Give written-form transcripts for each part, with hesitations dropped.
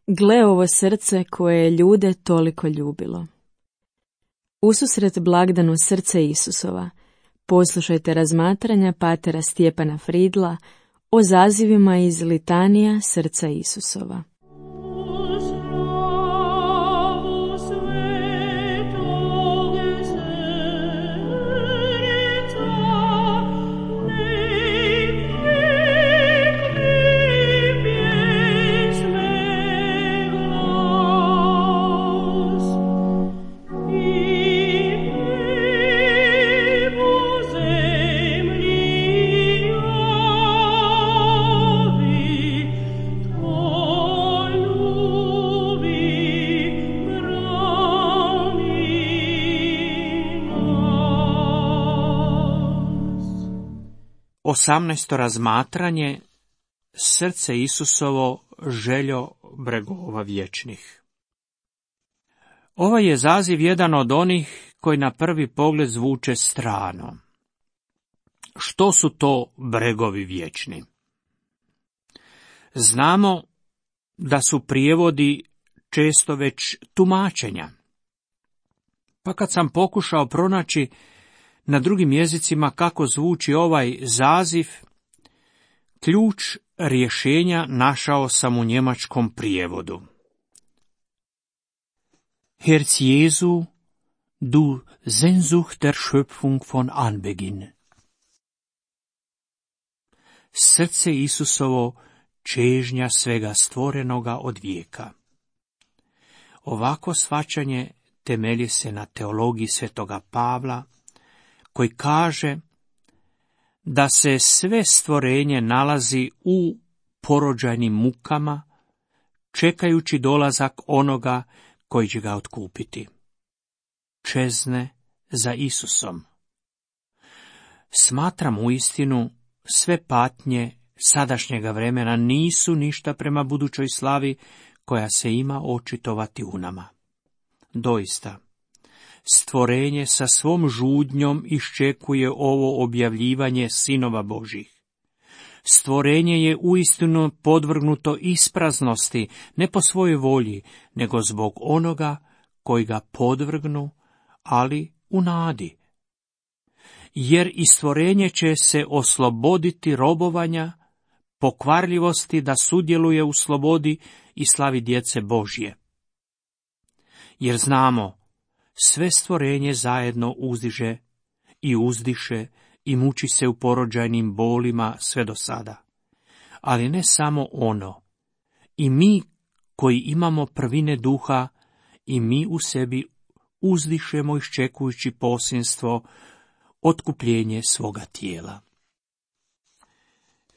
Gle ovo srce koje je ljude toliko ljubilo. Ususret blagdanu srce Isusova, poslušajte razmatranja patera Stjepana Fridla o zazivima iz litanija srca Isusova. Osamnaesto razmatranje, srce Isusovo, željo bregova vječnih. Ovaj je zaziv jedan od onih koji na prvi pogled zvuče strano. Što su to bregovi vječni? Znamo da su prijevodi često već tumačenja. Pa kad sam pokušao pronaći na drugim jezicima kako zvuči ovaj zaziv, ključ rješenja našao sam u njemačkom prijevodu. Herz Jesu, du Sehnsucht der Schöpfung von Anbeginn. Srce Isusovo, čežnja svega stvorenoga od vijeka. Ovako shvaćanje temelji se na teologiji svetoga Pavla, koji kaže da se sve stvorenje nalazi u porođajnim mukama, čekajući dolazak onoga koji će ga otkupiti. Čezne za Isusom. Smatram uistinu, sve patnje sadašnjega vremena nisu ništa prema budućoj slavi koja se ima očitovati u nama. Doista, stvorenje sa svom žudnjom iščekuje ovo objavljivanje sinova Božjih. Stvorenje je uistinu podvrgnuto ispraznosti, ne po svojoj volji, nego zbog onoga koji ga podvrgnu, ali u nadi. Jer i stvorenje će se osloboditi robovanja, pokvarljivosti da sudjeluje u slobodi i slavi djece Božje. Jer znamo, sve stvorenje zajedno uzdiže i uzdiše i muči se u porođajnim bolima sve do sada. Ali ne samo ono, i mi koji imamo prvine duha, i mi u sebi uzdišemo iščekujući posinstvo, otkupljenje svoga tijela.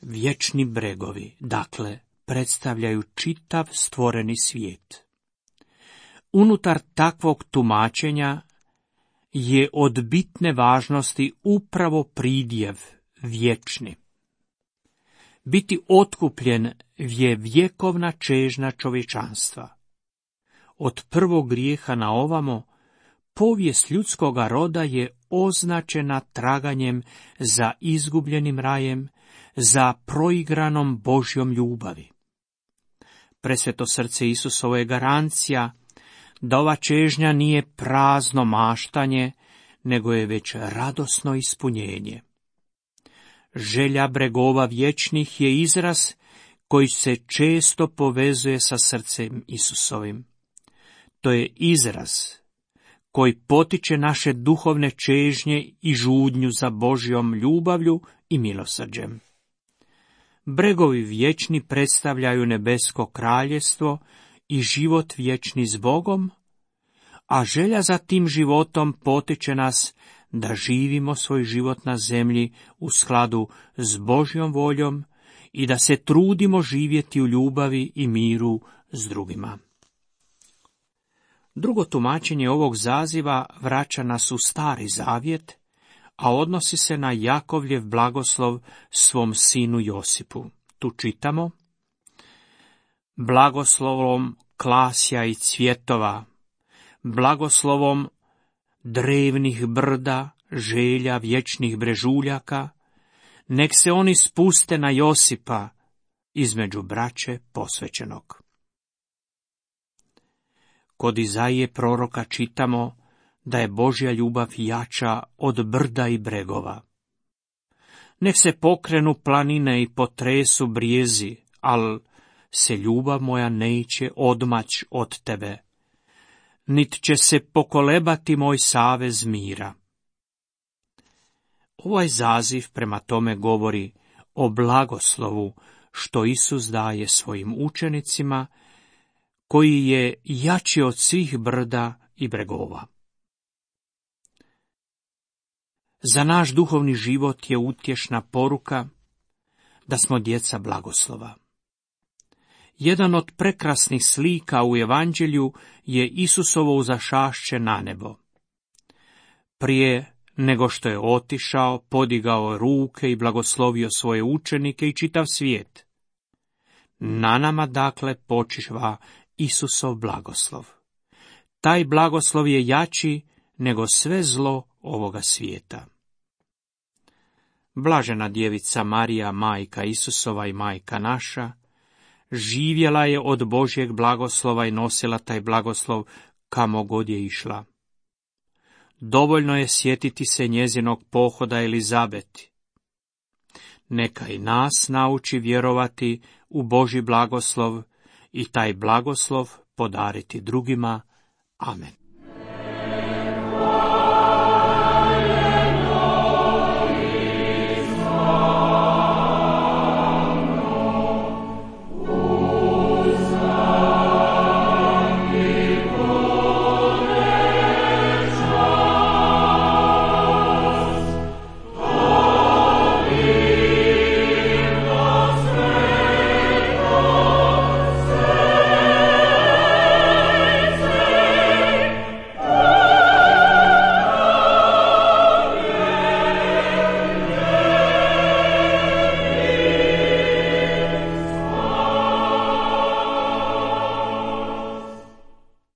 Vječni bregovi, dakle, predstavljaju čitav stvoreni svijet. Unutar takvog tumačenja je od bitne važnosti upravo pridjev vječni. Biti otkupljen je vjekovna čežnja čovječanstva. Od prvog grijeha na ovamo, povijest ljudskoga roda je označena traganjem za izgubljenim rajem, za proigranom Božjom ljubavi. Presveto srce Isusovo je garancija da ova čežnja nije prazno maštanje, nego je već radosno ispunjenje. Želja bregova vječnih je izraz koji se često povezuje sa srcem Isusovim. To je izraz koji potiče naše duhovne čežnje i žudnju za Božjom ljubavlju i milosrđem. Bregovi vječni predstavljaju nebesko kraljevstvo i život vječni s Bogom, a želja za tim životom potiče nas da živimo svoj život na zemlji u skladu s Božjom voljom i da se trudimo živjeti u ljubavi i miru s drugima. Drugo tumačenje ovog zaziva vraća nas u Stari Zavjet, a odnosi se na Jakovljev blagoslov svom sinu Josipu. Tu čitamo: blagoslovom klasja i cvjetova, blagoslovom drevnih brda, želja vječnih brežuljaka, nek se oni spuste na Josipa između braće posvećenog. Kod Izaije proroka čitamo da je Božja ljubav jača od brda i bregova. Nek se pokrenu planine i potresu brijezi, al se ljubav moja neće odmać od tebe, nit će se pokolebati moj savez mira. Ovaj zaziv prema tome govori o blagoslovu što Isus daje svojim učenicima, koji je jači od svih brda i bregova. Za naš duhovni život je utješna poruka da smo djeca blagoslova. Jedan od prekrasnih slika u Evanđelju je Isusovo uzašašće na nebo. Prije nego što je otišao, podigao ruke i blagoslovio svoje učenike i čitav svijet. Na nama dakle počiva Isusov blagoslov. Taj blagoslov je jači nego sve zlo ovoga svijeta. Blažena djevica Marija, majka Isusova i majka naša, živjela je od Božjeg blagoslova i nosila taj blagoslov kamo god je išla. Dovoljno je sjetiti se njezinog pohoda Elizabeti. Neka i nas nauči vjerovati u Božji blagoslov i taj blagoslov podariti drugima. Amen.